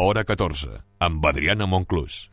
Hora 14, amb Adriana Monclús.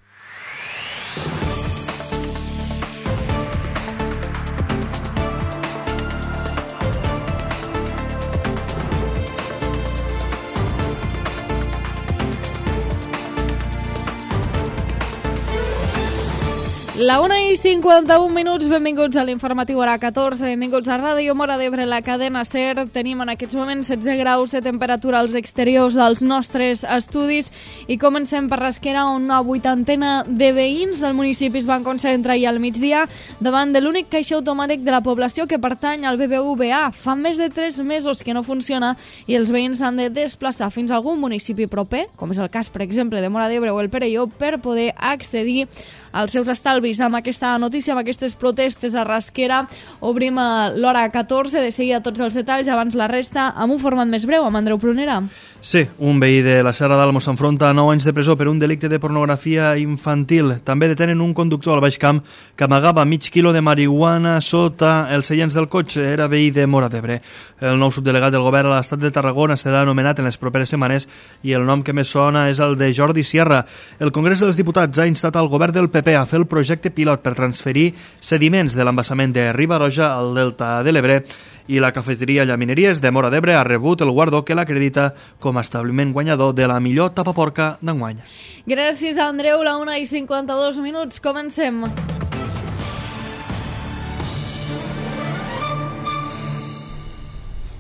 La 1:51, benvinguts a l'informatiu Hora 14, benvinguts a Ràdio Móra d'Ebre, la cadena SER. Tenim en aquests moments 16 graus de temperatura als exteriors dels nostres estudis i comencem per Rasquera, on una vuitantena de veïns del municipi es van concentrar ahir al migdia davant de l'únic caixer automàtic de la població que pertany al BBVA. Fa més de 3 mesos que no funciona i els veïns s'han de desplaçar fins a algun municipi proper, com és el cas, per exemple, de Móra d'Ebre o el Perelló, per poder accedir als seus estalvis. Amb aquesta notícia, amb aquestes protestes a Rasquera, obrim l'hora 14, de seguida tots els detalls, abans la resta, amb un format més breu, amb Andreu Prunera. Sí, un veí de la Serra d'Almo s'enfronta a 9 anys de presó per un delicte de pornografia infantil. També detenen un conductor al Baix Camp que amagava mig quilo de marihuana sota els seients del cotxe. Era veí de Móra d'Ebre. El nou subdelegat del govern a l'estat de Tarragona serà anomenat en les properes setmanes i el nom que més sona és el de Jordi Sierra. El Congrés dels Diputats ha instat al govern del PP a fer el projecte pilot per transferir sediments de l'embassament de Riba-roja al Delta de l'Ebre, i la cafeteria Llamineries de Móra d'Ebre ha rebut el guardó que l'acredita com a establiment guanyador de la millor tapaporca d'enguany. Gràcies, Andreu. La 1:52, comencem.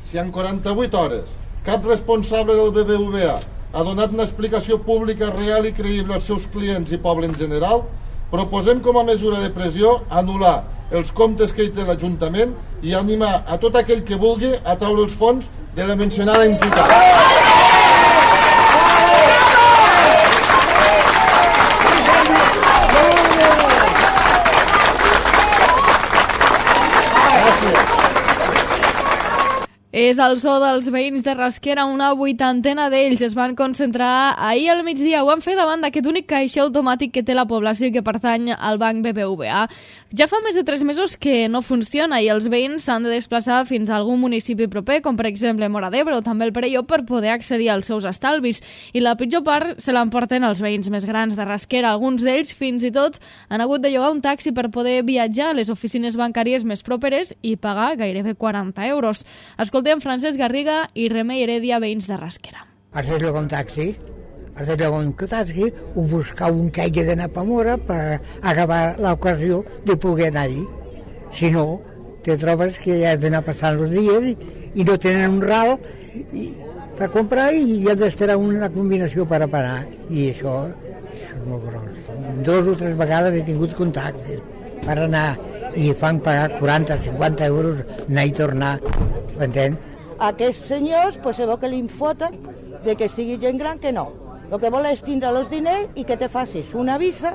Si en 48 hores cap responsable del BBVA ha donat una explicació pública real i creïble als seus clients i poble en general, proposem com a mesura de pressió anul·lar els comptes que hi té l'Ajuntament i animar a tot aquell que vulgui a treure els fons de la mencionada entitat. És el so dels veïns de Rasquera. Una vuitantena d'ells es van concentrar ahir al migdia. Ho han fet davant d'aquest únic caixer automàtic que té la població i que pertany al banc BBVA. Ja fa més de 3 mesos que no funciona i els veïns s'han de desplaçar fins a algun municipi proper, com per exemple Móra d'Ebre o també el Perelló, per poder accedir als seus estalvis. I la pitjor part se l'emporten els veïns més grans de Rasquera. Alguns d'ells fins i tot han hagut de llogar un taxi per poder viatjar a les oficines bancàries més properes i pagar gairebé 40 euros. Escoltem Francesc Garriga i Remei Heredia, veïns de Rasquera. Has de llogar un taxi, o buscar un que hagi d'anar a Móra per acabar l'ocasió de poder anar-hi. Si no, te trobes que ja has d'anar passant els dies i no tenen un ral per comprar i has d'esperar una combinació per a parar. I això és molt gros. 2 o 3 vegades he tingut contactes per anar i fan pagar 40-50 euros anar i tornar, m'entens? Aquests senyors pues, se veu que li foten de que sigui gent gran que no. El que vol és tindre els diners i que te facis una visa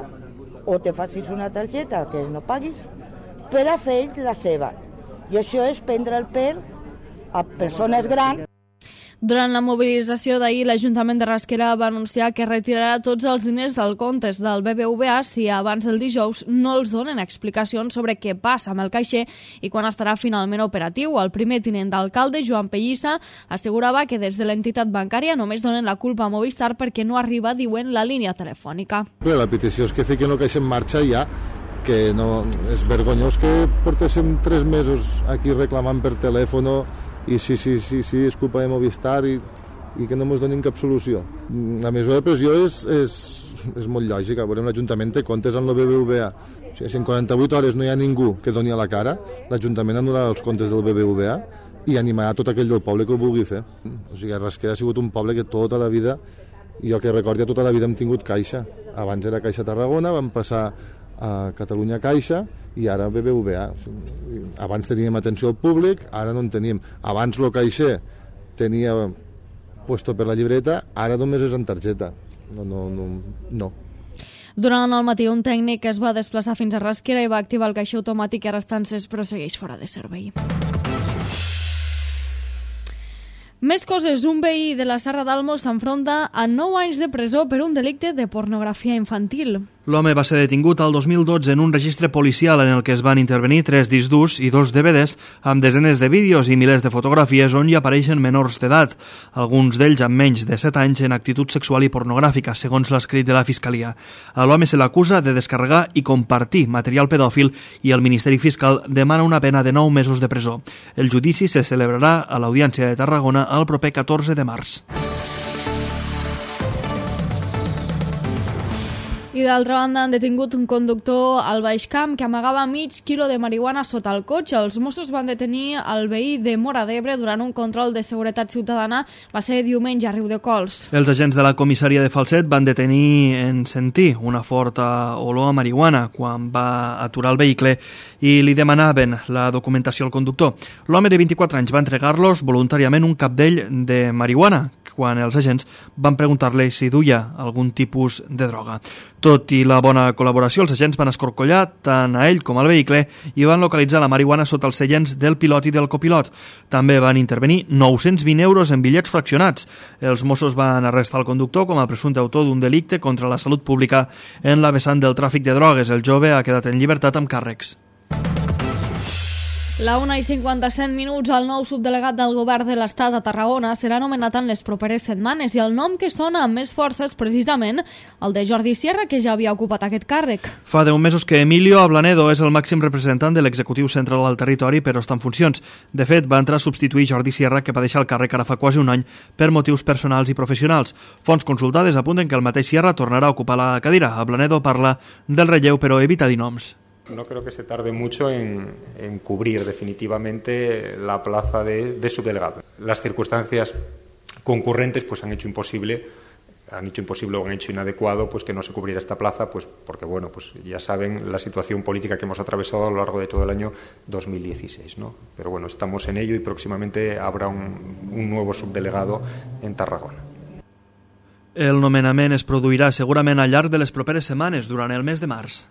o te facis una targeta que no paguis per a fer la seva. I això és prendre el pèl a persones grans. Durant la mobilització d'ahir, l'Ajuntament de Rasquera va anunciar que retirarà tots els diners del comptes del BBVA si abans del dijous no els donen explicacions sobre què passa amb el caixer i quan estarà finalment operatiu. El primer tinent d'alcalde, Joan Pellissa, assegurava que des de l'entitat bancària només donen la culpa a Movistar perquè no arriba, diuen, la línia telefònica. La petició és que fiquen el caixer en marxa ja, que no, és vergonyós que portéssim 3 mesos aquí reclamant per telèfon i sí, és culpa de Movistar i que no ens donin cap solució. La mesura de pressió és molt lògica. Veurem, l'Ajuntament té comptes amb el BBVA. O sigui, si en 48 hores no hi ha ningú que doni a la cara, l'Ajuntament anul·larà els comptes del BBVA i animarà tot aquell del poble que ho vulgui fer. O sigui, Rasquera ha sigut un poble que tota la vida, jo que recordi, tota la vida hem tingut Caixa. Abans era Caixa Tarragona, vam passar a Catalunya Caixa i ara BBVA. Abans teníem atenció al públic, ara no en tenim. Abans el caixer tenia puesto per la llibreta, ara només és en targeta. No. Durant el matí, un tècnic es va desplaçar fins a Rasquera i va activar el caixer automàtic i ara està encès però segueix fora de servei. Més coses. Un veí de la Serra d'Almo s'enfronta a 9 anys de presó per un delicte de pornografia infantil. L'home va ser detingut al 2012 en un registre policial en el que es van intervenir 3 discs durs i 2 DVDs amb desenes de vídeos i milers de fotografies on hi apareixen menors d'edat, alguns d'ells amb menys de 7 anys en actitud sexual i pornogràfica, segons l'escrit de la Fiscalia. A l'home se l'acusa de descarregar i compartir material pedòfil i el Ministeri Fiscal demana una pena de 9 mesos de presó. El judici se celebrarà a l'Audiència de Tarragona el proper 14 de març. I d'altra banda han detingut un conductor al Baixcamp que amagava mig quilo de marihuana sota el cotxe. Els Mossos van detenir el veí de Móra d'Ebre durant un control de seguretat ciutadana. Va ser diumenge a Riudecols. Els agents de la comissaria de Falset van detenir en sentir una forta olor a marihuana quan va aturar el vehicle i li demanaven la documentació al conductor. L'home de 24 anys va entregar-los voluntàriament un capdell de marihuana quan els agents van preguntar-li si duia algun tipus de droga. Tot i la bona col·laboració, els agents van escorcollar tant a ell com al vehicle i van localitzar la marihuana sota els seients del pilot i del copilot. També van intervenir 920 euros en bitllets fraccionats. Els Mossos van arrestar el conductor com a presumpte autor d'un delicte contra la salut pública en la vessant del tràfic de drogues. El jove ha quedat en llibertat amb càrrecs. La 1:57, el nou subdelegat del govern de l'Estat a Tarragona serà nomenat en les properes setmanes i el nom que sona amb més força és precisament el de Jordi Sierra, que ja havia ocupat aquest càrrec. Fa 10 mesos que Emilio Ablanedo és el màxim representant de l'executiu central al territori, però està en funcions. De fet, va entrar a substituir Jordi Sierra, que va deixar el càrrec ara fa quasi un any per motius personals i professionals. Fonts consultades apunten que el mateix Sierra tornarà a ocupar la cadira. Ablanedo parla del relleu, però evita dir noms. No creo que se tarde mucho en cubrir definitivamente la plaza de subdelegado. Las circunstancias concurrentes pues han hecho imposible o han hecho inadecuado pues que no se cubriera esta plaza, pues porque bueno, pues ya saben la situación política que hemos atravesado a lo largo de todo el año 2016, ¿no? Pero bueno, estamos en ello y próximamente habrá un nuevo subdelegado en Tarragona. El nomenament es produirà segurament al llarg de les properes setmanes, durant el mes de març.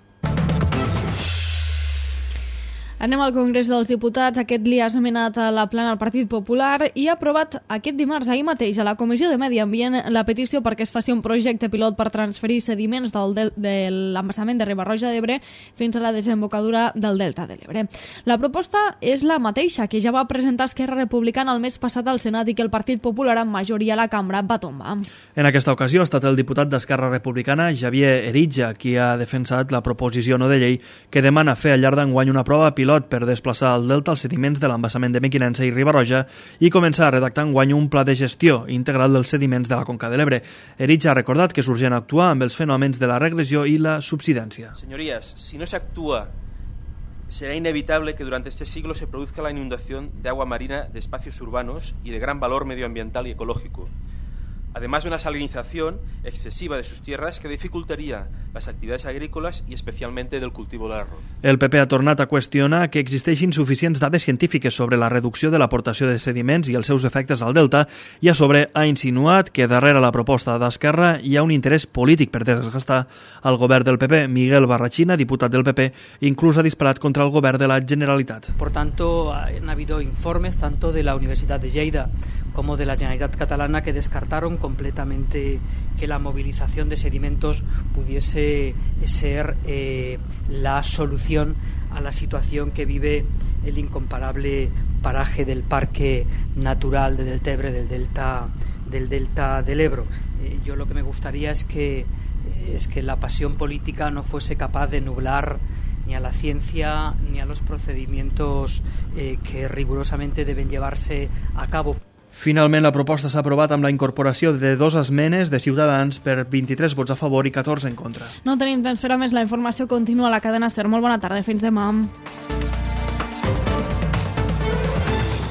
Anem al Congrés dels Diputats. Aquest li ha esmenat a la plana al Partit Popular i ha aprovat aquest dimarts, ahir mateix, a la Comissió de Medi Ambient, la petició perquè es faci un projecte pilot per transferir sediments de l'embassament de Riba-roja d'Ebre fins a la desembocadura del Delta de l'Ebre. La proposta és la mateixa que ja va presentar Esquerra Republicana el mes passat al Senat i que el Partit Popular, amb majoria a la cambra, va tombar. En aquesta ocasió ha estat el diputat d'Esquerra Republicana, Javier Eritja, qui ha defensat la proposició no de llei que demana fer al llarg d'enguany una prova pilot per desplaçar al delta els sediments de l'embassament de Mequinensa i Riba-roja i començar a redactar enguany un pla de gestió integral dels sediments de la Conca de l'Ebre. Eritja ha recordat que és urgent actuar amb els fenòmens de la regressió i la subsidència. Señorías, si no se actúa, será inevitable que durante este siglo se produzca la inundación de agua marina de espacios urbanos y de gran valor medioambiental y ecológico, además de una salinización excesiva de sus tierras que dificultaría las actividades agrícolas y especialmente del cultivo del arroz. El PP ha tornat a qüestionar que existeixin suficients dades científiques sobre la reducció de l'aportació de sediments i els seus efectes al delta i a sobre ha insinuat que darrere la proposta d'Esquerra hi ha un interès polític per desgastar el govern del PP. Miguel Barrachina, diputat del PP, inclús ha disparat contra el govern de la Generalitat. Por tanto, han habido informes tanto de la Universidad de Lleida como de la Generalitat Catalana que descartaron completamente que la movilización de sedimentos pudiese ser la solución a la situación que vive el incomparable paraje del Parque Natural de Deltebre, del Delta del Ebro. Yo lo que me gustaría es que la pasión política no fuese capaz de nublar ni a la ciencia ni a los procedimientos que rigurosamente deben llevarse a cabo. Finalment, la proposta s'ha aprovat amb la incorporació de 2 esmenes de Ciutadans per 23 vots a favor i 14 en contra. No tenim temps per a més. La informació continua a la cadena SER. Molt bona tarda. Fins demà.